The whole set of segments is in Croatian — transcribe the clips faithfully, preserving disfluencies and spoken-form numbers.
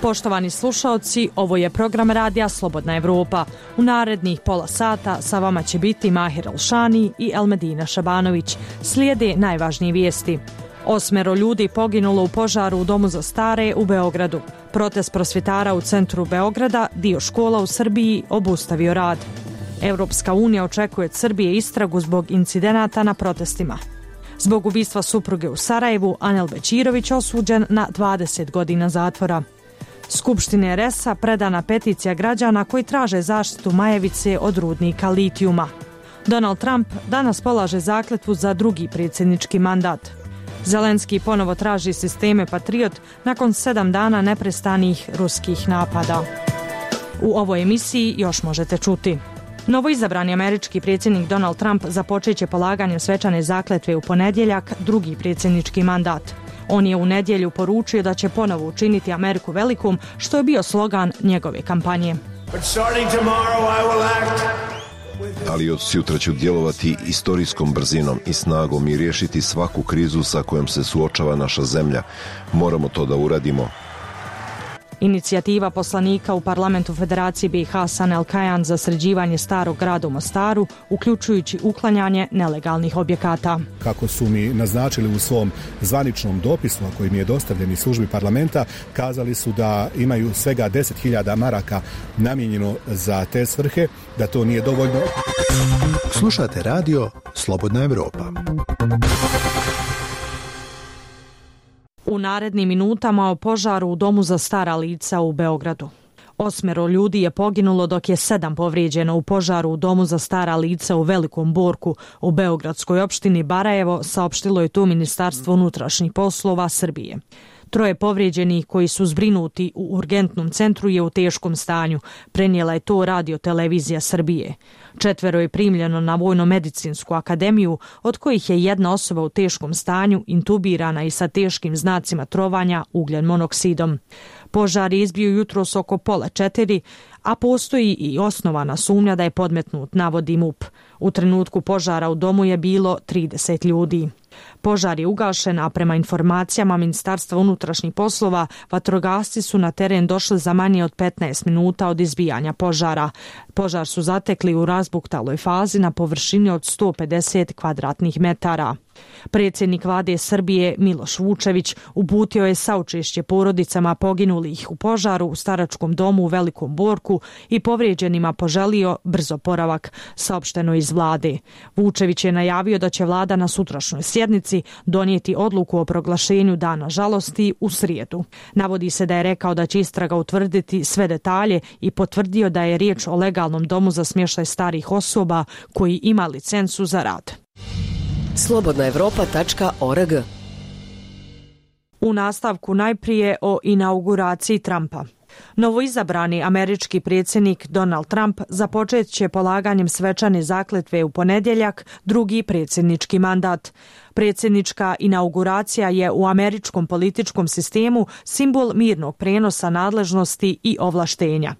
Poštovani slušaoci, ovo je program radija Slobodna Evropa. U narednih pola sata sa vama će biti Mahir Alšani i Elmedina Šabanović. Slijede najvažnije vijesti. Osmero ljudi poginulo u požaru u domu za stare u Beogradu. Protest prosvjetara u centru Beograda, dio škola u Srbiji obustavio rad. Europska unija očekuje od Srbije istragu zbog incidenata na protestima. Zbog ubistva supruge u Sarajevu, Anel Bećirović osuđen na dvadeset godina zatvora. Skupštine er es a predana peticija građana koji traže zaštitu Majevice od rudnika litijuma. Donald Trump danas polaže zakletvu za drugi predsjednički mandat. Zelenski ponovo traži sisteme Patriot nakon sedam dana neprestanih ruskih napada. U ovoj emisiji još možete čuti. Novoizabrani američki predsjednik Donald Trump započet će polaganjem svečane zakletve u ponedjeljak drugi predsjednički mandat. On je u nedjelju poručio da će ponovo učiniti Ameriku velikom, što je bio slogan njegove kampanje. Ali od sutra ću djelovati istorijskom brzinom i snagom i riješiti svaku krizu sa kojom se suočava naša zemlja. Moramo to da uradimo. Inicijativa poslanika u parlamentu Federacije be i ha Hasan El Kajan za sređivanje starog grada u Mostaru, uključujući uklanjanje nelegalnih objekata. Kako su mi naznačili u svom zvaničnom dopisu, a koji mi je dostavljen iz službi parlamenta, kazali su da imaju svega deset hiljada maraka namijenjeno za te svrhe, da to nije dovoljno. Slušate radio Slobodna Evropa. U narednim minutama o požaru u domu za stara lica u Beogradu. Osmero ljudi je poginulo dok je sedam povrijeđeno u požaru u domu za stara lica u Velikom Borku u beogradskoj opštini Barajevo, saopštilo je to Ministarstvo unutrašnjih poslova Srbije. Troje povrijeđenih koji su zbrinuti u urgentnom centru je u teškom stanju, prenijela je to Radio televizija Srbije. Četvero je primljeno na Vojno-medicinsku akademiju, od kojih je jedna osoba u teškom stanju, intubirana i sa teškim znacima trovanja ugljen monoksidom. Požar je izbio jutros oko pola četiri, a postoji i osnovana sumnja da je podmetnut, navodi M U P. U trenutku požara u domu je bilo trideset ljudi. Požar je ugašen, a prema informacijama Ministarstva unutrašnjih poslova, vatrogasci su na teren došli za manje od petnaest minuta od izbijanja požara. Požar su zatekli u razbuktaloj fazi na površini od sto pedeset kvadratnih metara. Predsjednik vlade Srbije Miloš Vučević uputio je saučešće porodicama poginulih u požaru u staračkom domu u Velikom Borku i povrijeđenima poželio brzo oporavak, saopšteno iz vlade. Vučević je najavio da će vlada na sutrašnjoj sjednici donijeti odluku o proglašenju dana žalosti u srijedu. Navodi se da je rekao da će istraga utvrditi sve detalje i potvrdio da je riječ o legalnom domu za smještaj starih osoba koji ima licencu za rad. slobodna evropa tačka org. U nastavku najprije o inauguraciji Trumpa. Novoizabrani američki predsjednik Donald Trump započet će polaganjem svečane zakletve u ponedjeljak drugi predsjednički mandat. Predsjednička inauguracija je u američkom političkom sistemu simbol mirnog prenosa nadležnosti i ovlaštenja.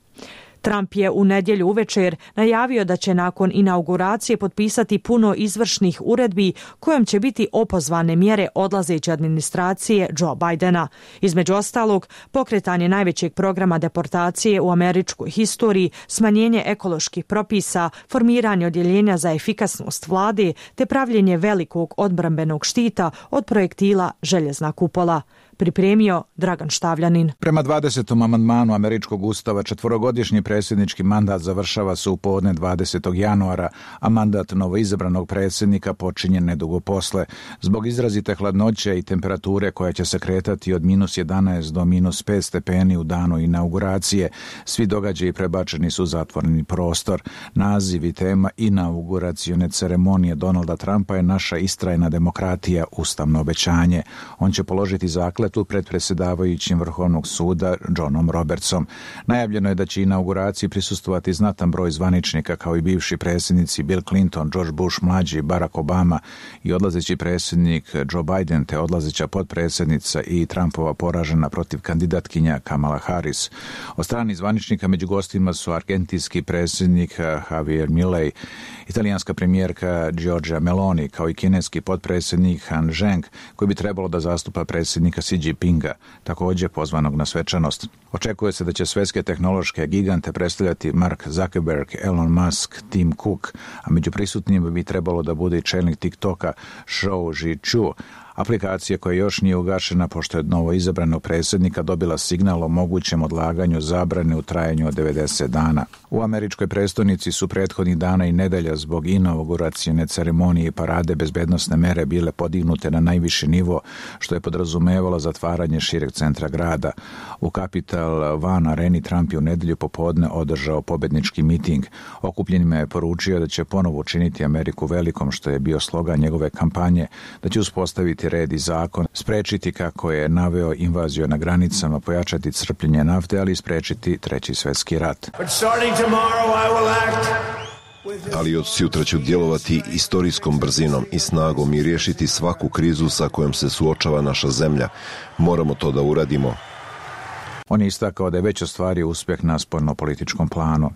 Trump je u nedjelju uvečer najavio da će nakon inauguracije potpisati puno izvršnih uredbi kojom će biti opozvane mjere odlazeće administracije Joe Bidena. Između ostalog, pokretanje najvećeg programa deportacije u američkoj historiji, smanjenje ekoloških propisa, formiranje odjeljenja za efikasnost vlade te pravljenje velikog odbrambenog štita od projektila željezna kupola. Pripremio Dragan Štavljanin. Prema dvadesetom amandmanu američkog ustava četvorogodišnji predsjednički mandat završava se u podne dvadesetog januara, a mandat novoizabranog predsjednika počinje nedugo posle. Zbog izrazite hladnoće i temperature koja će se kretati od minus jedanaest do minus pet stepeni u danu inauguracije, svi događaji prebačeni su u zatvoreni prostor. Naziv i tema inauguracione ceremonije Donalda Trumpa je naša istrajna demokratija, ustavno obećanje. On će položiti zakletvu pred predsjedavajućim Vrhovnog suda Johnom Robertsom. Najavljeno je da će inauguracija inauguraciji prisustvovati znatan broj zvaničnika kao i bivši predsjednici Bill Clinton, George Bush mlađi, Barack Obama i odlazeći predsjednik Joe Biden te odlazeća potpredsjednica i Trumpova poražena protiv kandidatkinja Kamala Harris. Od strani zvaničnika među gostima su argentinski predsjednik Javier Milei, italijanska premijerka Giorgia Meloni kao i kineski potpredsjednik Han Zheng koji bi trebalo da zastupa predsjednika Xi Jinpinga, također pozvanog na svečanost. Očekuje se da će svetske tehnološke gigante predstavljati Mark Zuckerberg, Elon Musk, Tim Cook, a među prisutnjima bi trebalo da bude i čelnik TikToka Shou Zhiqiu, aplikacija koja još nije ugašena pošto je od novo izabranog predsjednika dobila signal o mogućem odlaganju zabrane u trajanju od devedeset dana. U američkoj prestonici su prethodnih dana i nedelja zbog inauguracione ceremonije i parade bezbednosne mere bile podignute na najviši nivo, što je podrazumevalo zatvaranje šireg centra grada. U Capital One areni Trump je u nedelju popodne održao pobednički miting. Okupljenima je poručio da će ponovo učiniti Ameriku velikom, što je bio slogan njegove kampanje, da će uspostaviti red i zakon, sprečiti, kako je naveo, invaziju na granicama, pojačati crpljenje nafte, ali i sprečiti treći svjetski rat. Ali od sutra ću djelovati istorijskom brzinom i snagom i riješiti svaku krizu sa kojom se suočava naša zemlja. Moramo to da uradimo. On je istakao da je već ostvario uspjeh na spoljnopolitičkom planu.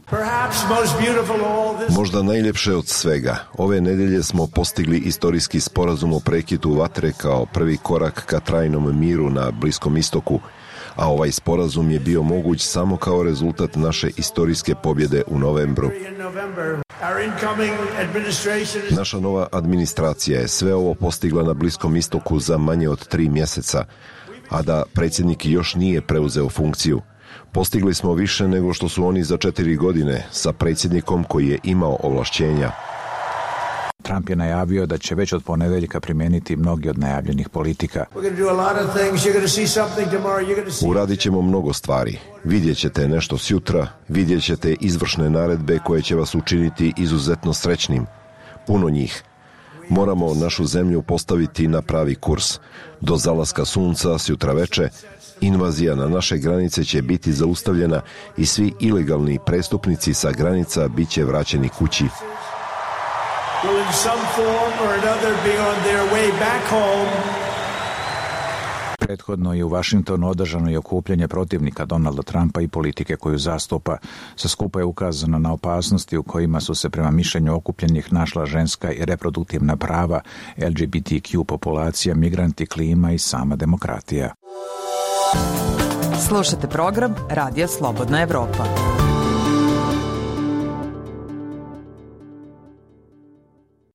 Možda najljepše od svega. Ove nedelje smo postigli istorijski sporazum o prekidu vatre kao prvi korak ka trajnom miru na Bliskom istoku, a ovaj sporazum je bio moguć samo kao rezultat naše istorijske pobjede u novembru. Naša nova administracija je sve ovo postigla na Bliskom istoku za manje od tri mjeseca, a da predsjednik još nije preuzeo funkciju. Postigli smo više nego što su oni za četiri godine sa predsjednikom koji je imao ovlašćenja. Trump je najavio da će već od ponedeljka primijeniti mnogi od najavljenih politika. Uradit ćemo mnogo stvari. Vidjet ćete nešto sjutra, vidjet ćete izvršne naredbe koje će vas učiniti izuzetno srećnim. Puno njih. Moramo našu zemlju postaviti na pravi kurs. Do zalaska sunca, sjutra veče, invazija na naše granice će biti zaustavljena i svi ilegalni prestupnici sa granica bit će vraćeni kući. Prethodno je u Vašingtonu održano i okupljanje protivnika Donalda Trumpa i politike koju zastupa. Sa skupa je ukazano na opasnosti u kojima su se prema mišljenju okupljenih našla ženska i reproduktivna prava, L G B T Q populacija, migranti, klima i sama demokratija. Slušate program Radija Slobodna Evropa.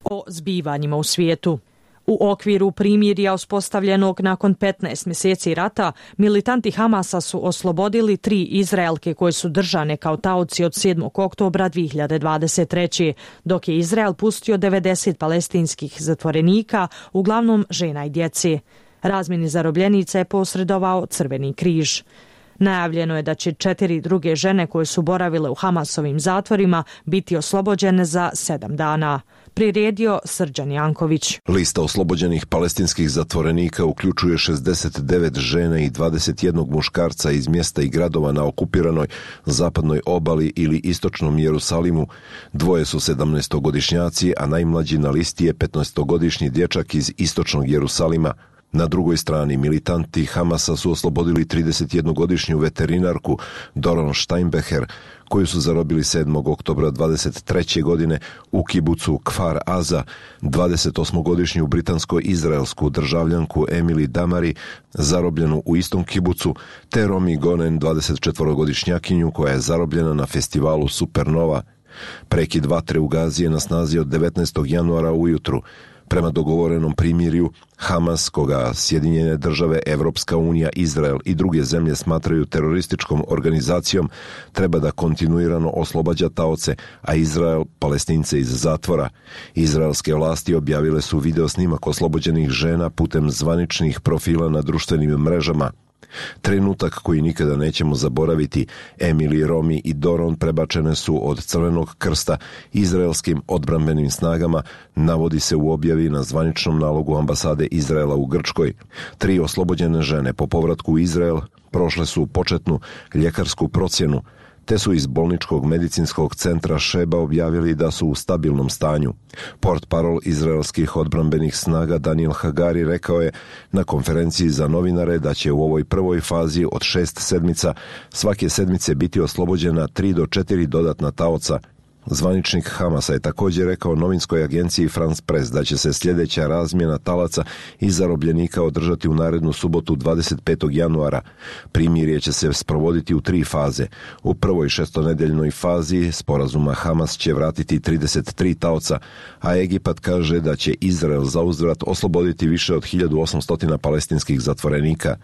O zbivanjima u svijetu. U okviru primirja uspostavljenog nakon petnaest mjeseci rata, militanti Hamasa su oslobodili tri Izraelke koje su držane kao taoci od sedmog oktobra dvije hiljade dvadeset treće. dok je Izrael pustio devedeset palestinskih zatvorenika, uglavnom žena i djece. Razmjeni zarobljenica je posredovao Crveni križ. Najavljeno je da će četiri druge žene koje su boravile u Hamasovim zatvorima biti oslobođene za sedam dana. Priredio Srđan Janković. Lista oslobođenih palestinskih zatvorenika uključuje šezdeset devet žena i dvadeset jedan muškarca iz mjesta i gradova na okupiranoj zapadnoj obali ili istočnom Jerusalimu. Dvoje su sedamnaestogodišnjaci, a najmlađi na listi je petnaestogodišnji dječak iz istočnog Jerusalima. Na drugoj strani militanti Hamasa su oslobodili tridesetjednogodišnju veterinarku Doron Steinbecher, koju su zarobili sedmog oktobra dvadeset treće godine u kibucu Kfar Aza, dvadesetosmogodišnju britansko-izraelsku državljanku Emily Damari, zarobljenu u istom kibucu, te Romi Gonen, dvadesetčetvorogodišnjakinju koja je zarobljena na festivalu Supernova. Prekid vatre u Gazi je na snazi od devetnaestog januara ujutru. Prema dogovorenom primirju, Hamas, koga Sjedinjene države, Evropska unija, Izrael i druge zemlje smatraju terorističkom organizacijom, treba da kontinuirano oslobađa taoce, a Izrael Palestince iz zatvora. Izraelske vlasti objavile su video snimak oslobođenih žena putem zvaničnih profila na društvenim mrežama. Trenutak koji nikada nećemo zaboraviti, Emily, Romi i Doron prebačene su od Crvenog krsta izraelskim odbrambenim snagama, navodi se u objavi na zvaničnom nalogu ambasade Izraela u Grčkoj. Tri oslobođene žene po povratku u Izrael prošle su početnu ljekarsku procjenu, te su iz bolničkog medicinskog centra Šeba objavili da su u stabilnom stanju. Portparol izraelskih odbrambenih snaga Daniel Hagari rekao je na konferenciji za novinare da će u ovoj prvoj fazi od šest sedmica svake sedmice biti oslobođena tri do četiri dodatna taoca. Zvaničnik Hamasa je također rekao novinskoj agenciji France Press da će se sljedeća razmjena talaca i zarobljenika održati u narednu subotu dvadeset petog januara. Primirje će se sprovoditi u tri faze. U prvoj šestonedeljnoj fazi sporazuma Hamas će vratiti trideset tri taoca, a Egipat kaže da će Izrael zauzvrat osloboditi više od hiljadu osamsto palestinskih zatvorenika.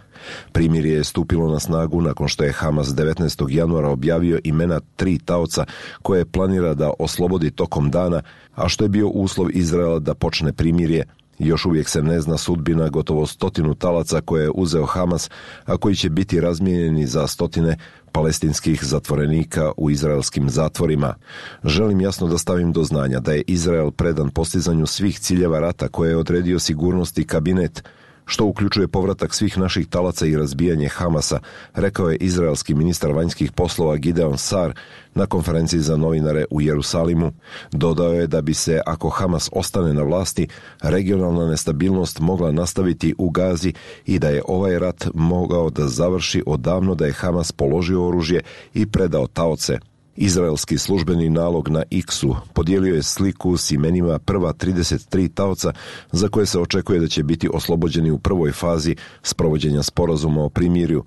Primirje je stupilo na snagu nakon što je Hamas devetnaestog januara objavio imena tri taoca koje planira da oslobodi tokom dana, a što je bio uslov Izraela da počne primirje. Još uvijek se ne zna sudbina gotovo stotinu talaca koje je uzeo Hamas, a koji će biti razmijenjeni za stotine palestinskih zatvorenika u izraelskim zatvorima. Želim jasno da stavim do znanja da je Izrael predan postizanju svih ciljeva rata koje je odredio sigurnosni kabinet, što uključuje povratak svih naših talaca i razbijanje Hamasa, rekao je izraelski ministar vanjskih poslova Gideon Sar na konferenciji za novinare u Jerusalimu. Dodao je da bi se, ako Hamas ostane na vlasti, regionalna nestabilnost mogla nastaviti u Gazi i da je ovaj rat mogao da završi odavno da je Hamas položio oružje i predao taoce. Izraelski službeni nalog na X-u podijelio je sliku s imenima prva trideset tri taoca za koje se očekuje da će biti oslobođeni u prvoj fazi sprovođenja sporazuma o primirju.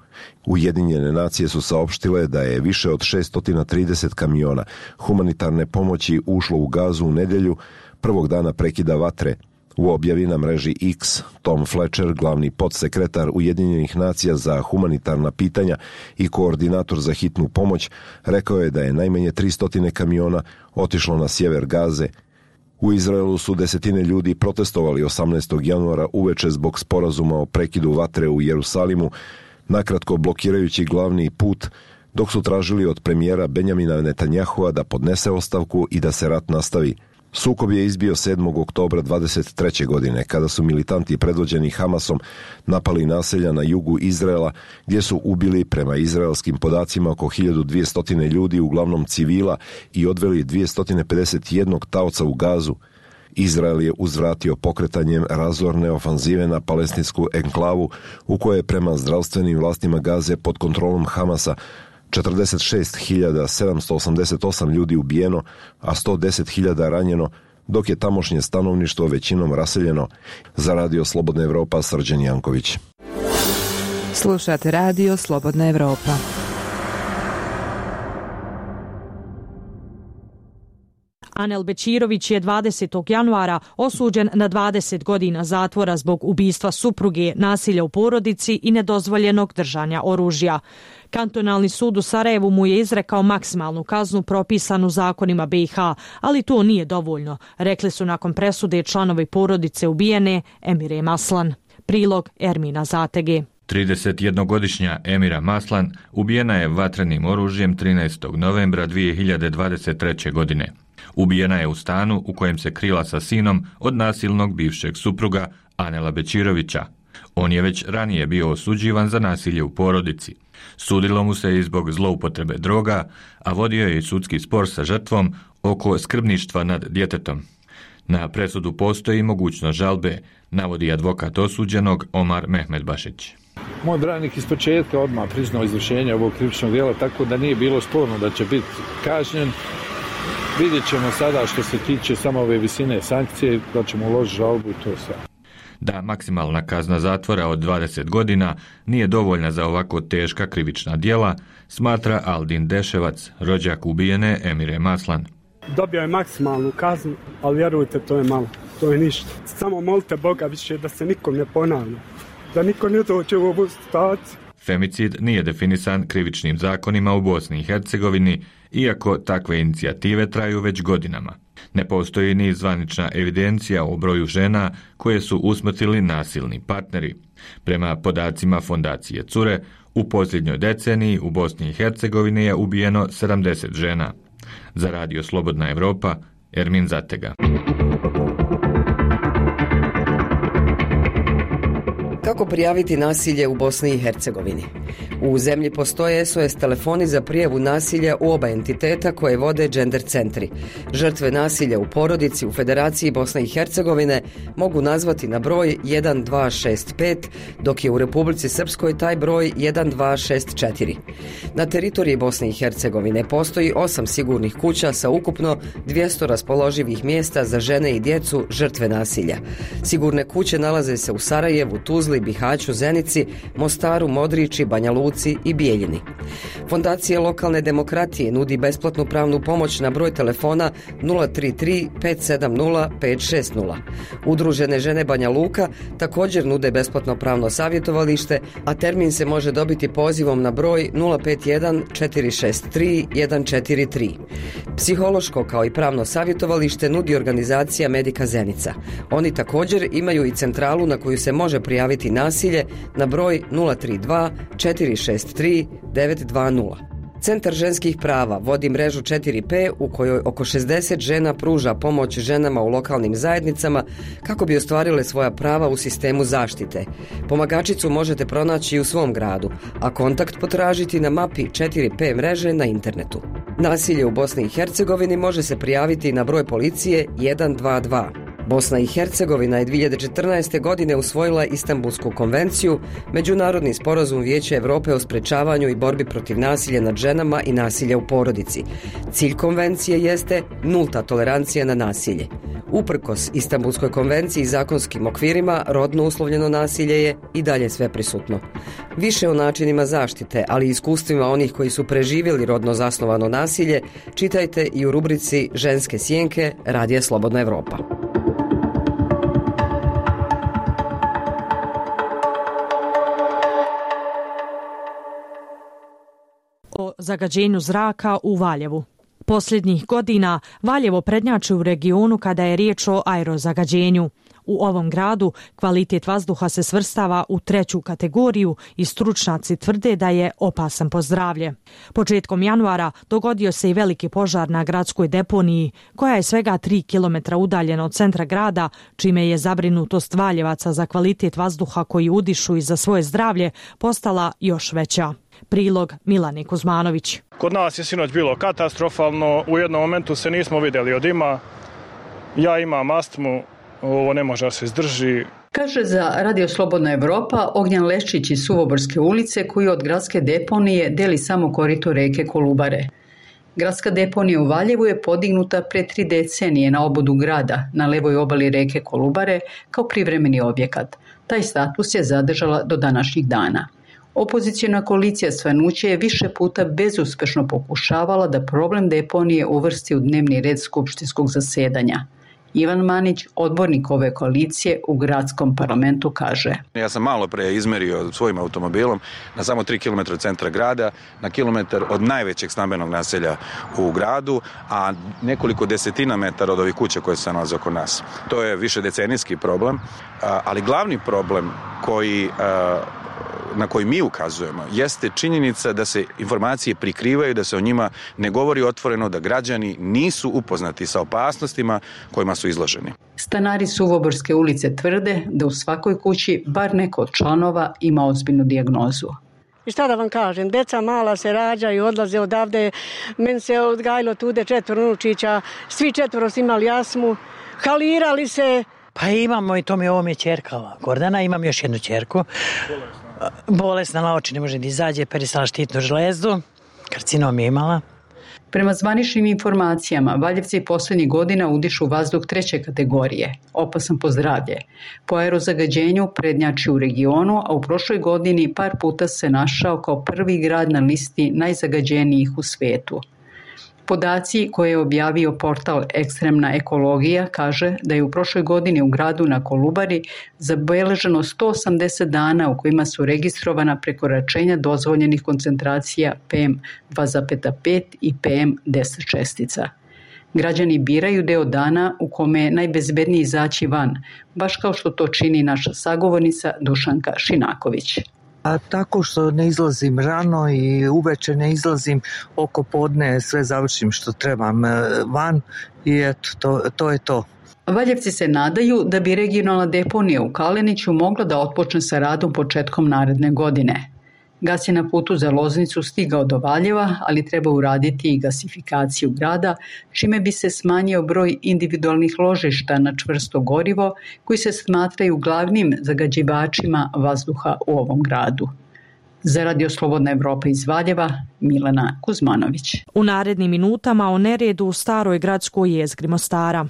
Ujedinjene nacije su saopštile da je više od šesto trideset kamiona humanitarne pomoći ušlo u Gazu u nedjelju, prvog dana prekida vatre. U objavi na mreži X, Tom Fletcher, glavni podsekretar Ujedinjenih nacija za humanitarna pitanja i koordinator za hitnu pomoć, rekao je da je najmanje tristo kamiona otišlo na sjever Gaze. U Izraelu su desetine ljudi protestovali osamnaestog januara uveče zbog sporazuma o prekidu vatre u Jerusalimu, nakratko blokirajući glavni put, dok su tražili od premijera Benjamina Netanjahua da podnese ostavku i da se rat nastavi. Sukob je izbio sedmog oktobra dvadeset treće godine, kada su militanti predvođeni Hamasom napali naselja na jugu Izraela, gdje su ubili prema izraelskim podacima oko hiljadu dvjesto ljudi, uglavnom civila, i odveli dvjesto pedeset jedan taoca u Gazu. Izrael je uzvratio pokretanjem razorne ofanzive na palestinsku enklavu, u kojoj je prema zdravstvenim vlastima Gaze pod kontrolom Hamasa četrdeset šest hiljada sedamsto osamdeset osam ljudi ubijeno, a sto deset hiljada ranjeno, dok je tamošnje stanovništvo većinom raseljeno. Za Radio Slobodna Evropa, Srđan Janković. Slušate Radio Slobodna Evropa. Anel Bečirović je dvadesetog januara osuđen na dvadeset godina zatvora zbog ubistva supruge, nasilja u porodici i nedozvoljenog držanja oružja. Kantonalni sud u Sarajevu mu je izrekao maksimalnu kaznu propisanu zakonima B i H, ali to nije dovoljno, rekli su nakon presude članovi porodice ubijene Emire Maslan. Prilog Ermina Zatege. tridesetjednogodišnja Emira Maslan ubijena je vatrenim oružjem trinaestog novembra dvije hiljade dvadeset treće. godine. Ubijena je u stanu u kojem se krila sa sinom od nasilnog bivšeg supruga Anela Bečirovića. On je već ranije bio osuđivan za nasilje u porodici. Sudilo mu se i zbog zloupotrebe droga, a vodio je i sudski spor sa žrtvom oko skrbništva nad djetetom. Na presudu postoji mogućnost žalbe, navodi advokat osuđenog Omar Mehmedbašić. Moj branik iz početka odmah priznao izvršenje ovog krivičnog djela, tako da nije bilo sporno da će biti kažnjen. Vidjet ćemo sada što se tiče samo ove visine sankcije, da ćemo uložiti žalbu i to sve. Da maksimalna kazna zatvora od dvadeset godina nije dovoljna za ovako teška krivična djela, smatra Aldin Deševac, rođak ubijene Emire Maslan. Dobio je maksimalnu kaznu, ali vjerujte, to je malo, to je ništa. Samo molite Boga više da se nikom ne ponavlja, da niko ne dođe u ovu situaciju. Femicid nije definisan krivičnim zakonima u Bosni i Hercegovini, iako takve inicijative traju već godinama. Ne postoji ni zvanična evidencija o broju žena koje su usmrtili nasilni partneri. Prema podacima fondacije Cure, u posljednjoj deceniji u Bosni i Hercegovini je ubijeno sedamdeset žena. Za Radio Slobodna Evropa, Ermin Zatega. Kako prijaviti nasilje u Bosni i Hercegovini? U zemlji postoje S O S telefoni za prijavu nasilja u oba entiteta koje vode gender centri. Žrtve nasilja u porodici u Federaciji Bosne i Hercegovine mogu nazvati na broj jedan dva šest pet, dok je u Republici Srpskoj taj broj jedan dva šest četiri. Na teritoriji Bosne i Hercegovine postoji osam sigurnih kuća sa ukupno dvjesto raspoloživih mjesta za žene i djecu žrtve nasilja. Sigurne kuće nalaze se u Sarajevu, Tuzli, Bihaću, Zenici, Mostaru, Modriči, Banja Luci i Bijeljini. Fondacija lokalne demokratije nudi besplatnu pravnu pomoć na broj telefona nula tri tri pet sedam nula pet šest nula. Udružene žene Banja Luka također nude besplatno pravno savjetovalište, a termin se može dobiti pozivom na broj nula pet jedan četiri šest tri jedan četiri tri. Psihološko kao i pravno savjetovalište nudi organizacija Medika Zenica. Oni također imaju i centralu na koju se može prijaviti nasilje na broj nula tri dva četiri šest tri devet dva nula. Centar ženskih prava vodi mrežu četiri P u kojoj oko šezdeset žena pruža pomoć ženama u lokalnim zajednicama kako bi ostvarile svoja prava u sistemu zaštite. Pomagačicu možete pronaći u svom gradu, a kontakt potražiti na mapi četiri P mreže na internetu. Nasilje u Bosni i Hercegovini može se prijaviti na broj policije jedan dva dva. Bosna i Hercegovina je dvije hiljade četrnaeste. godine usvojila Istanbulsku konvenciju, međunarodni sporazum Vijeća Europe o sprečavanju i borbi protiv nasilja nad ženama i nasilja u porodici. Cilj konvencije jeste nulta tolerancija na nasilje. Uprkos Istanbulskoj konvenciji i zakonskim okvirima, rodno uslovljeno nasilje je i dalje sve prisutno. Više o načinima zaštite, ali i iskustvima onih koji su preživjeli rodno zasnovano nasilje, čitajte i u rubrici Ženske sjenke Radija Slobodna Evropa. O zagađenju zraka u Valjevu. Posljednjih godina Valjevo prednjači u regionu kada je riječ o aerozagađenju. U ovom gradu kvalitet vazduha se svrstava u treću kategoriju i stručnjaci tvrde da je opasan po zdravlje. Početkom januara dogodio se i veliki požar na gradskoj deponiji, koja je svega tri kilometra udaljena od centra grada, čime je zabrinutost Valjevaca za kvalitet vazduha koji udišu i za svoje zdravlje postala još veća. Prilog Milane Kuzmanović. Kod nas je sinoć bilo katastrofalno, u jednom momentu se nismo vidjeli od dima. Ja imam astmu, ovo ne može da se izdrži. Kaže za Radio Slobodna Evropa Ognjan Leščić iz Suvoborske ulice, koji od gradske deponije deli samo korito reke Kolubare. Gradska deponija u Valjevu je podignuta pre tri decenije na obodu grada, na levoj obali reke Kolubare, kao privremeni objekat. Taj status je zadržala do današnjih dana. Opozicijona koalicija Svanuće je više puta bezuspešno pokušavala da problem deponije uvrsti u dnevni red skupštinskog zasedanja. Ivan Manić, odbornik ove koalicije u gradskom parlamentu, kaže: Ja sam malo pre izmerio svojim automobilom na samo tri kilometra od centra grada, na kilometar od najvećeg stambenog naselja u gradu, a nekoliko desetina metara od ovih kuća koje se nalaze oko nas. To je više decenijski problem, ali glavni problem koji na koji mi ukazujemo jeste činjenica da se informacije prikrivaju, da se o njima ne govori otvoreno, da građani nisu upoznati sa opasnostima kojima su izloženi. Stanari Suvoborske ulice tvrde da u svakoj kući bar neko od članova ima ozbiljnu dijagnozu. I šta da vam kažem, deca mala se rađaju, odlaze odavde, meni se odgajilo tude četvoro unučića, svi četvoro su imali astmu, halirali se. Pa imamo i to mi ovo mi je ćerka Gordana, imam još jednu ćerku. Bolesna na oči, ne može da izađe, perisala štitnu žlezdu, karcinom je imala. Prema zvaničnim informacijama, Valjevci posljednjih godina udišu vazduh treće kategorije, opasan po zdravlje. Po aerozagađenju prednjači u regionu, a u prošloj godini par puta se našao kao prvi grad na listi najzagađenijih u svetu. Podaci koje je objavio portal Ekstremna ekologija kaže da je u prošloj godini u gradu na Kolubari zabeleženo sto osamdeset dana u kojima su registrovana prekoračenja dozvoljenih koncentracija P M dva zarez pet i P M deset čestica. Građani biraju deo dana u kome je najbezbednije izaći van, baš kao što to čini naša sagovornica Dušanka Šinaković. A tako što ne izlazim rano i uveče ne izlazim, oko podne sve završim što trebam van i eto, to, to je to. Valjevci se nadaju da bi regionalna deponija u Kaleniću mogla da otpočne sa radom početkom naredne godine. Gas je na putu za Loznicu stigao do Valjeva, ali treba uraditi i gasifikaciju grada, čime bi se smanjio broj individualnih ložišta na čvrsto gorivo koji se smatraju glavnim zagađivačima vazduha u ovom gradu. Za Radio Slobodna Evropa iz Valjeva, Milena Kuzmanović. U narednim minutama o neredu u staroj gradskoj jezgri Mostara.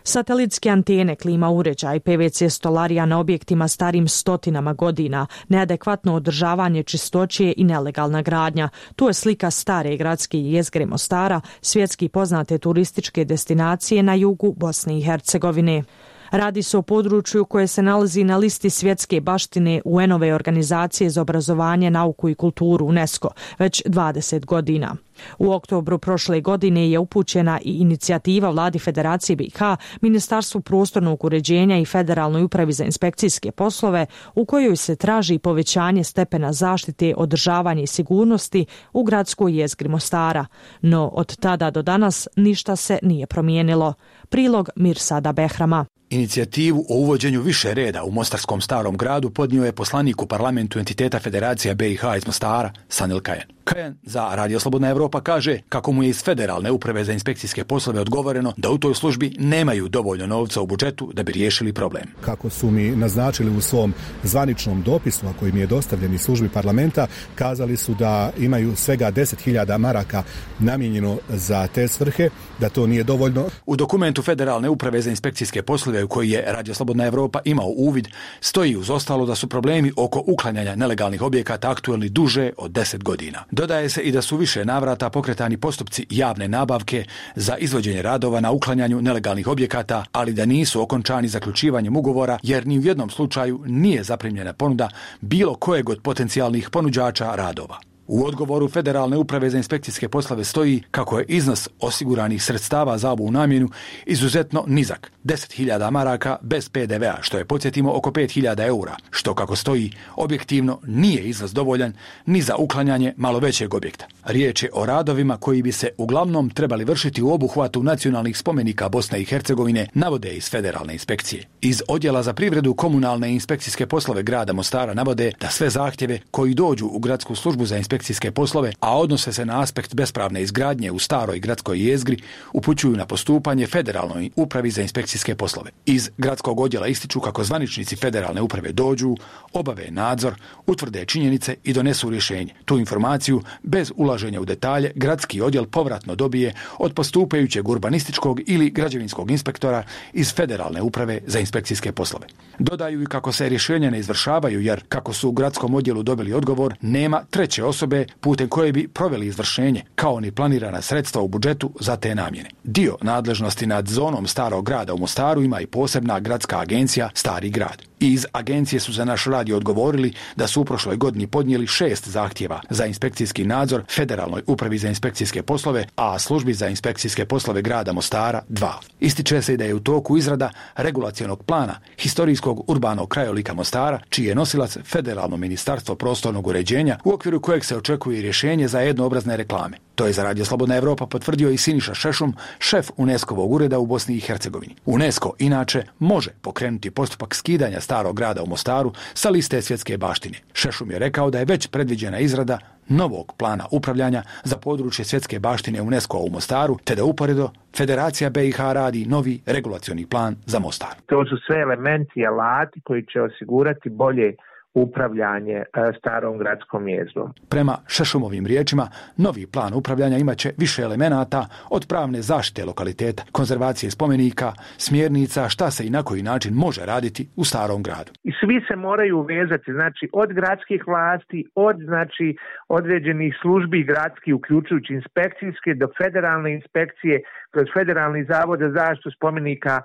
Satelitske antene, klima uređaj, P V C stolarija na objektima starim stotinama godina, neadekvatno održavanje čistoće i nelegalna gradnja. Tu je slika stare gradske jezgre Mostara, svjetski poznate turističke destinacije na jugu Bosne i Hercegovine. Radi se o području koje se nalazi na listi svjetske baštine U N-ove organizacije za obrazovanje, nauku i kulturu UNESCO već dvadeset godina. U oktobru prošle godine je upućena i inicijativa Vladi Federacije B i H, Ministarstvu prostornog uređenja i Federalnoj upravi za inspekcijske poslove u kojoj se traži povećanje stepena zaštite, održavanja i sigurnosti u gradskoj jezgri Mostara. No od tada do danas ništa se nije promijenilo. Prilog Mirsada Behrama. Inicijativu o uvođenju više reda u Mostarskom starom gradu podnio je poslanik u parlamentu entiteta Federacija B i H iz Mostara, Sanil Kajen. Kajen za Radio Slobodna Evropa kaže kako mu je iz Federalne uprave za inspekcijske poslove odgovoreno da u toj službi nemaju dovoljno novca u budžetu da bi riješili problem. Kako su mi naznačili u svom zvaničnom dopisu, a koji mi je dostavljen iz službi parlamenta, kazali su da imaju svega deset hiljada maraka namijenjeno za te svrhe, da to nije dovoljno. U dokumentu Federalne uprave za inspekcijske poslove u koji je Radio Slobodna Evropa imao uvid, stoji uz ostalo da su problemi oko uklanjanja nelegalnih objekata aktuelni duže od deset godina. Dodaje se i da su više navrata pokretani postupci javne nabavke za izvođenje radova na uklanjanju nelegalnih objekata, ali da nisu okončani zaključivanjem ugovora jer ni u jednom slučaju nije zaprimljena ponuda bilo kojeg od potencijalnih ponuđača radova. U odgovoru Federalne uprave za inspekcijske poslove stoji kako je iznos osiguranih sredstava za ovu namjenu izuzetno nizak, deset hiljada maraka bez P D V-a, što je, podsjetimo, oko pet hiljada eura, što, kako stoji, objektivno nije iznos dovoljan ni za uklanjanje malo većeg objekta. Riječ je o radovima koji bi se uglavnom trebali vršiti u obuhvatu nacionalnih spomenika Bosne i Hercegovine, navode iz Federalne inspekcije. Iz Odjela za privredu komunalne i inspekcijske poslove grada Mostara navode da sve zahtjeve koji dođu u gradsku službu za inspekcijske poslove, a odnose se na aspekt bespravne izgradnje u staroj gradskoj jezgri, upućuju na postupanje Federalnoj upravi za inspekcijske poslove. Iz gradskog odjela ističu kako zvaničnici Federalne uprave dođu, obave nadzor, utvrde činjenice i donesu rješenje. Tu informaciju, bez ulaženja u detalje, gradski odjel povratno dobije od postupajućeg urbanističkog ili građevinskog inspektora iz Federalne uprave za inspekcijske poslove. Dodaju i kako se rješenja ne izvršavaju jer, kako su u gradskom odjelu dobili odgovor, nema treće osobe putem koje bi proveli izvršenje, kao ni planirana sredstva u budžetu za te namjene. Dio nadležnosti nad zonom starog grada u Mostaru ima i posebna gradska agencija Stari grad. Iz agencije su za naš radio odgovorili da su u prošloj godini podnijeli šest zahtjeva za inspekcijski nadzor Federalnoj upravi za inspekcijske poslove, a službi za inspekcijske poslove grada Mostara dva. Ističe se da je u toku izrada regulacionog plana historijskog urbanog krajolika Mostara, čiji je nosilac Federalno ministarstvo prostornog uređenja, u okviru kojeg se očekuje rješenje za jednoobrazne reklame. To je za Radio Slobodna Evropa potvrdio i Siniša Šešum, šef UNESCO-vog ureda u Bosni i Hercegovini. UNESCO inače može pokrenuti postupak skidanja starog grada u Mostaru sa liste svjetske baštine. Šešum je rekao da je već predviđena izrada novog plana upravljanja za područje svjetske baštine UNESCO u Mostaru, te da uporedo Federacija B i H radi novi regulacioni plan za Mostar. To su sve elementi i alati koji će osigurati bolje upravljanje starom gradskom jezgrom. Prema Šešumovim riječima, novi plan upravljanja imaće više elemenata od pravne zaštite lokaliteta, konzervacije spomenika, smjernica šta se i na koji način može raditi u starom gradu. I svi se moraju vezati, znači od gradskih vlasti, od znači određenih službi gradskih, uključujući inspekcijske, do federalne inspekcije, kroz Federalni zavod za zaštitu spomenika,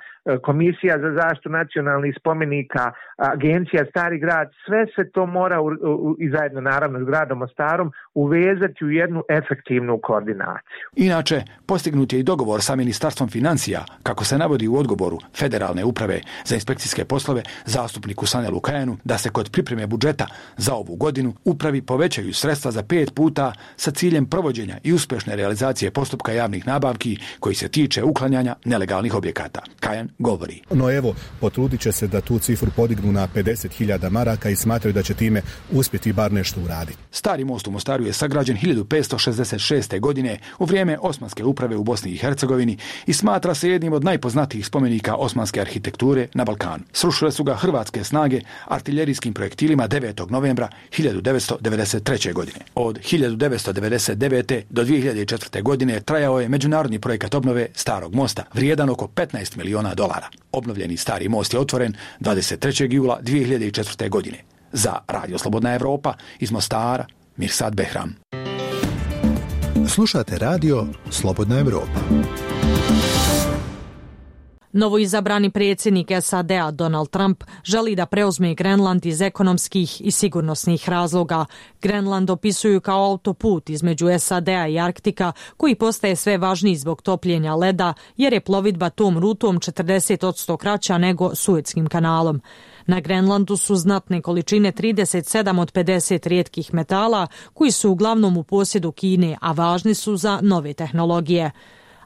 Komisija za zaštitu nacionalnih spomenika, Agencija Stari grad, sve sve se to mora u, u, i zajedno naravno s gradom Mostarom uvezati u jednu efektivnu koordinaciju. Inače, postignut je i dogovor sa Ministarstvom financija, kako se navodi u odgovoru Federalne uprave za inspekcijske poslove zastupniku Sanelu Kajanu, da se kod pripreme budžeta za ovu godinu upravi povećaju sredstva za pet puta sa ciljem provođenja i uspješne realizacije postupka javnih nabavki koji se tiče uklanjanja nelegalnih objekata. Kajan govori. No evo, potrudit će se da tu cifru podignu na pedeset hiljada maraka i smatraju da će time uspjeti bar nešto uraditi. Stari most u Mostaru je sagrađen hiljadu petsto šezdeset šeste. godine u vrijeme Osmanske uprave u Bosni i Hercegovini i smatra se jednim od najpoznatijih spomenika osmanske arhitekture na Balkanu. Srušile su ga hrvatske snage artiljerijskim projektilima devetog novembra hiljadu devetsto devedeset treće. godine. Od hiljadu devetsto devedeset devete. do dvije hiljade četvrte. godine trajao je međunarodni projekat obnove Starog mosta, vrijedan oko petnaest miliona dolara. Obnovljeni Stari most je otvoren dvadeset trećeg jula dvije hiljade četvrte. godine. Za Radio Slobodna Evropa iz Mostara, Mirsad Behram. Slušate Radio Slobodna Evropa. Novoizabrani predsjednik S A D-a Donald Trump želi da preuzme Grenland iz ekonomskih i sigurnosnih razloga. Grenland opisuju kao autoput između S A D-a i Arktika koji postaje sve važniji zbog topljenja leda jer je plovidba tom rutom četrdeset posto kraća nego Suetskim kanalom. Na Grenlandu su znatne količine trideset sedam od pedeset rijetkih metala koji su uglavnom u posjedu Kine, a važni su za nove tehnologije.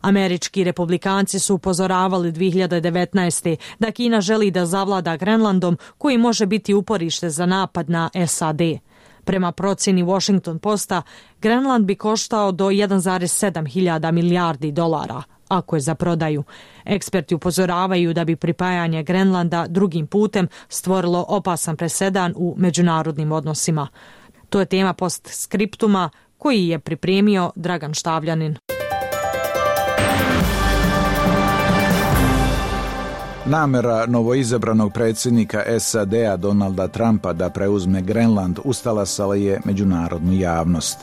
Američki republikanci su upozoravali dvije hiljade devetnaeste. da Kina želi da zavlada Grenlandom koji može biti uporište za napad na S A D. Prema procjeni Washington Posta, Grenland bi koštao do jedan zarez sedam hiljada milijardi dolara, ako je za prodaju. Eksperti upozoravaju da bi pripajanje Grenlanda drugim putem stvorilo opasan presedan u međunarodnim odnosima. To je tema postskriptuma koji je pripremio Dragan Štavljanin. Namera novoizabranog predsjednika S A D-a Donalda Trumpa da preuzme Grenland ustalasala je međunarodnu javnost.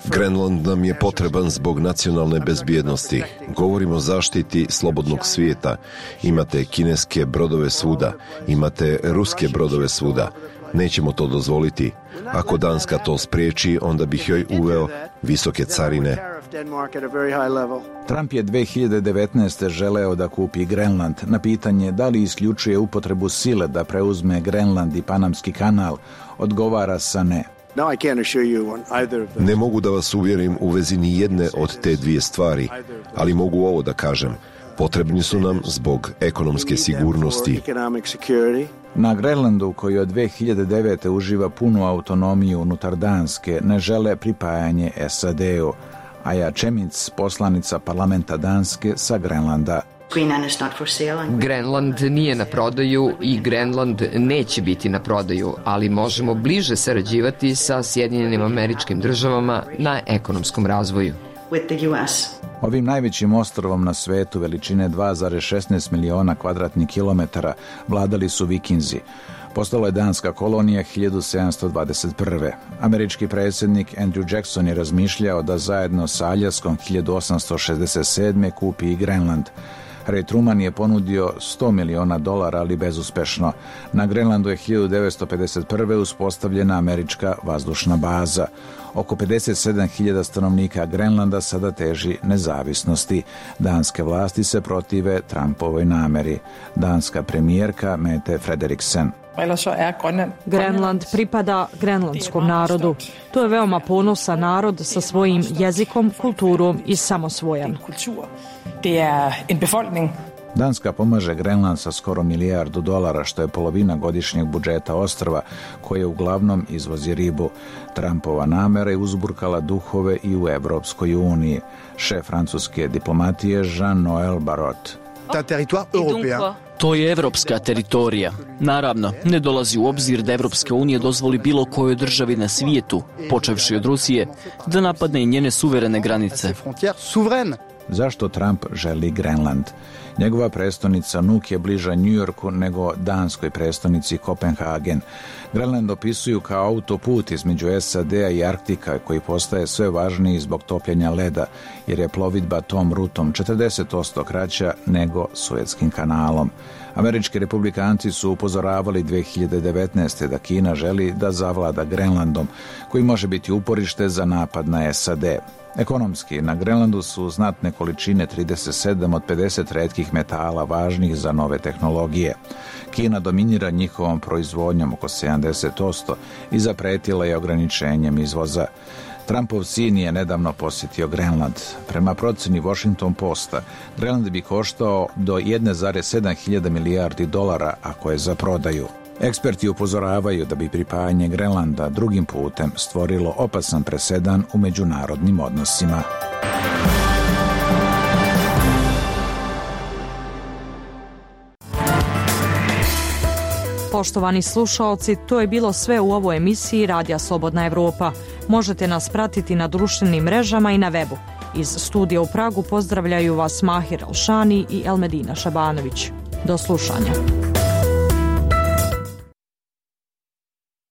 Grenland nam je potreban zbog nacionalne bezbjednosti. Govorimo o zaštiti slobodnog svijeta. Imate kineske brodove svuda, imate ruske brodove svuda. Nećemo to dozvoliti. Ako Danska to spriječi, onda bih joj uveo visoke carine. Trump je dvije hiljade devetnaeste. želeo da kupi Grenland. Na pitanje da li isključuje upotrebu sile da preuzme Grenland i Panamski kanal, odgovara sa ne. Ne mogu da vas uvjerim u vezi ni jedne od te dvije stvari, ali mogu ovo da kažem. Potrebni su nam zbog ekonomske sigurnosti. Na Grenlandu, koji od dvije hiljade devete. uživa punu autonomiju unutar Danske, ne žele pripajanje S A D-u. Aja Čemic, poslanica parlamenta Danske sa Grenlanda. Grenland nije na prodaju i Grenland neće biti na prodaju, ali možemo bliže sarađivati sa Sjedinjenim Američkim Državama na ekonomskom razvoju. Ovim najvećim ostrvom na svetu veličine dva zarez šesnaest miliona kvadratnih kilometara vladali su Vikinzi. Postala je danska kolonija hiljadu sedamsto dvadeset prve. Američki predsjednik Andrew Jackson je razmišljao da zajedno sa Aljaskom hiljadu osamsto šezdeset sedme. kupi i Grenland. Harry Truman je ponudio sto miliona dolara, ali bezuspešno. Na Grenlandu je hiljadu devetsto pedeset prve. uspostavljena američka vazdušna baza. Oko pedeset sedam hiljada stanovnika Grenlanda sada teži nezavisnosti. Danske vlasti se protive Trumpovoj nameri. Danska premijerka Mette Frederiksen. Grenland pripada grenlandskom narodu. To je veoma ponosan narod sa svojim jezikom, kulturom i samosvojan. Danska pomaže Grenland sa skoro milijardu dolara, što je polovina godišnjeg budžeta ostrva, koje uglavnom izvozi ribu. Trumpova namera je uzburkala duhove i u Evropskoj uniji. Šef francuske diplomatije Jean-Noël Barrot. To je evropska teritorija. Naravno, ne dolazi u obzir da Evropska unija dozvoli bilo kojoj državi na svijetu, počevši od Rusije, da napadne i njene suverene granice. Zašto Trump želi Grenland? Njegova prestonica Nuuk je bliža New Yorku nego danskoj prestonici Kopenhagen. Grenland opisuju kao autoput između S A D-a i Arktika koji postaje sve važniji zbog topljenja leda, jer je plovidba tom rutom četrdeset posto kraća nego Suetskim kanalom. Američki republikanci su upozoravali dvije hiljade devetnaeste. da Kina želi da zavlada Grenlandom, koji može biti uporište za napad na S A D. Ekonomski, na Grenlandu su znatne količine trideset sedam od pedeset retkih metala važnih za nove tehnologije. Kina dominira njihovom proizvodnjom oko sedamdeset posto i zapretila je ograničenjem izvoza. Trumpov sin je nedavno posjetio Grenland. Prema proceni Washington Posta, Grenland bi koštao do jedne zarez sedam hiljada milijardi dolara ako je za prodaju. Eksperti upozoravaju da bi pripajanje Grenlanda drugim putem stvorilo opasan presedan u međunarodnim odnosima. Poštovani slušaoci, to je bilo sve u ovoj emisiji Radija Slobodna Evropa. Možete nas pratiti na društvenim mrežama i na webu. Iz studija u Pragu pozdravljaju vas Mahir Alšani i Elmedina Šabanović. Do slušanja.